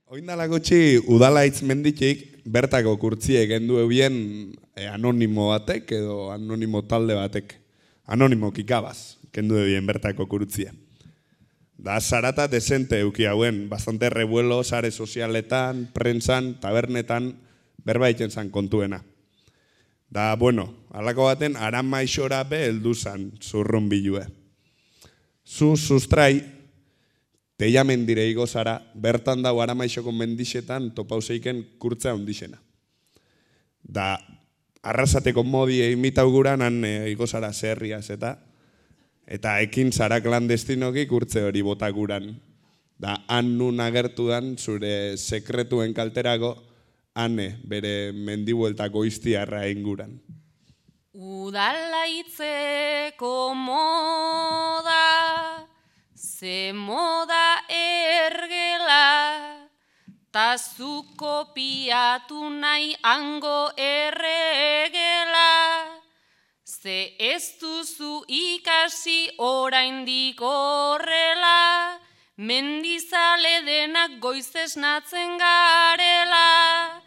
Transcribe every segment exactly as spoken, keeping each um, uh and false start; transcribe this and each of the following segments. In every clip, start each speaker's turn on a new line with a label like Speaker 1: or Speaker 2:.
Speaker 1: Oindala gutxi udalaitz menditik bertako kurtzie gendu ebien e, anonimo batek edo anonimo talde batek. Anonimo kikabaz, kendu ebien bertako kurtzie. Da zarata desente euki hauen, bastante revuelo sare sozialetan, prentsan, tabernetan, berbaiten zan kontuena. Da, bueno, alako baten aran maixora be heldu zan zurrun bilue. Zu sustrai, teia mendire igo zara, bertan dago aramaixoko mendixetan topauseiken kurtza ondixena. Da, arrasateko modi imitauguran, han e, igo zara zerriaz eta, eta ekin zara klandestinoki kurtze hori botaguran. Da, han nun agertu dan, zure sekretuen kalterago, hane bere mendibueltako iztiarra inguran.
Speaker 2: Udalaitzeko moda, ze moda ergela, ta zu kopiatu nahi hango erregela, ze ez duzu ikasi oraindik horrela, mendizale denak goiz esnatzen garela,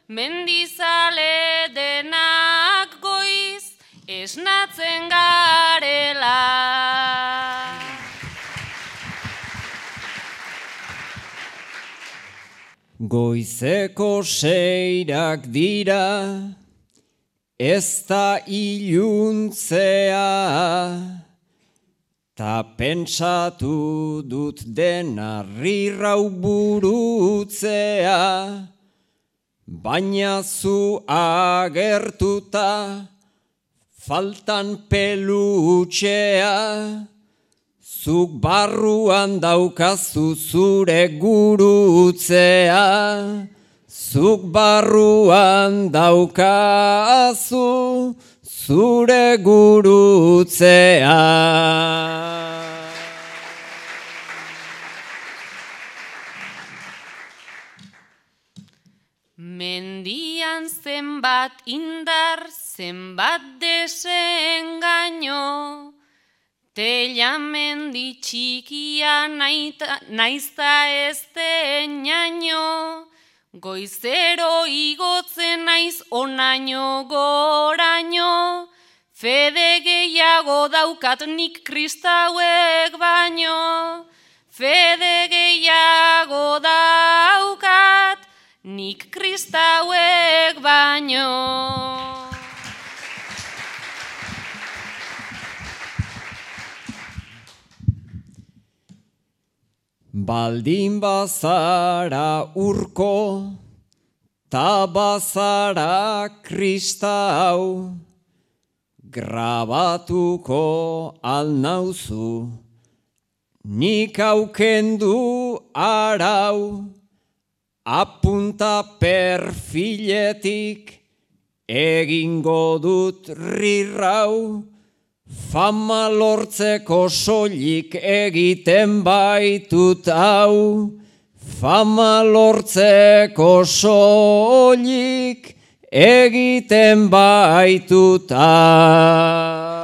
Speaker 2: mendizale denak goiz esnatzen garela.
Speaker 3: Goizeko seirak dira, ez da iluntzea, ta pentsatu dut dena rirrau burutzea, baina zu agertuta faltan pelutxea, zuk barruan daukazu zure gurutzea, zuk barruan daukazu zure gurutzea.
Speaker 2: Mendian zenbat indar, zenbat desengaino, teila mendi txikia naizta ez denaino, goizero igotzen naiz onaino goraino, fede gehiago daukat nik kristauek baino, fede gehiago daukat nik kristauek baino.
Speaker 3: Baldin bazara urko, ta bazara kristau, grabatuko alnauzu, nik aukendu arau, apunta perfiletik egingo dut rirrau, fama lortzeko soilik egiten baitut hau, fama lortzeko soilik egiten baitut hau.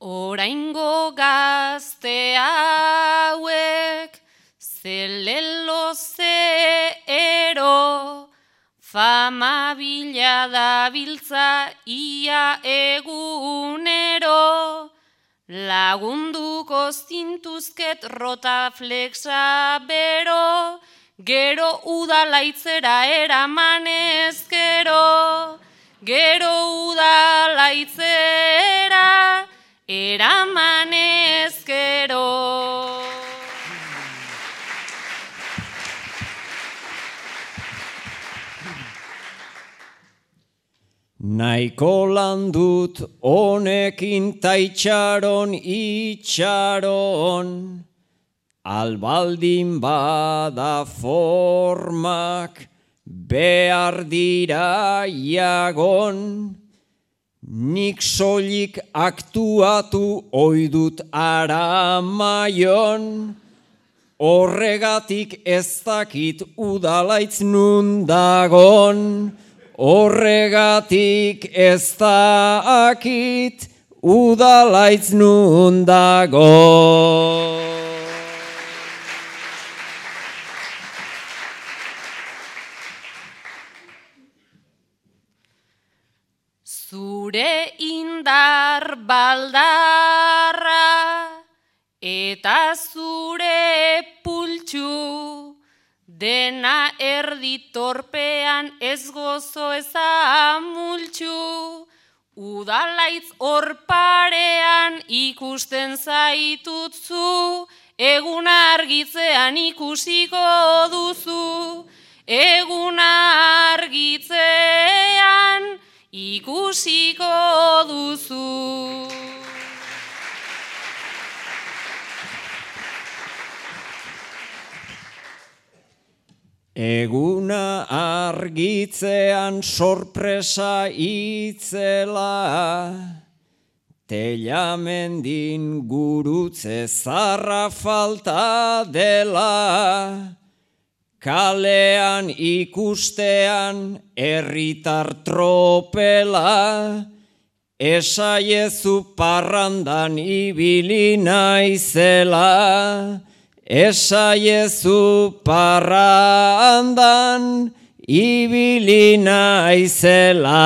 Speaker 2: Oraingo gazte hauek, zelelo zeero, fama bila dabiltza ia egunero, lagunduko zintuzket rotaflexa bero, gero udalaitzera eramanez gero, gero udalaitzera eramanez gero.
Speaker 3: Naiko landut honekin taitxaron itxaron, albaldin bada formak behar dira jagon, nik soilik aktuatu oidut aramaion, horregatik ez dakit udalaitz nun dagon, horregatik ez dakit udalaitz nun dago.
Speaker 2: Zure indar baldarra eta zure pultsu dena erdi torpean ez gozo ez amultxu. Udalaitz hor parean ikusten zaitutzu, egun argitzean ikusiko duzu, egun argitzean ikusiko duzu.
Speaker 3: Eguna argitzean sorpresa itzela, telamendin gurutze zarra falta dela, kalean ikustean herritar tropela, esaiezu parrandan ibili naizela, esaiezu parrandan ibili naizela.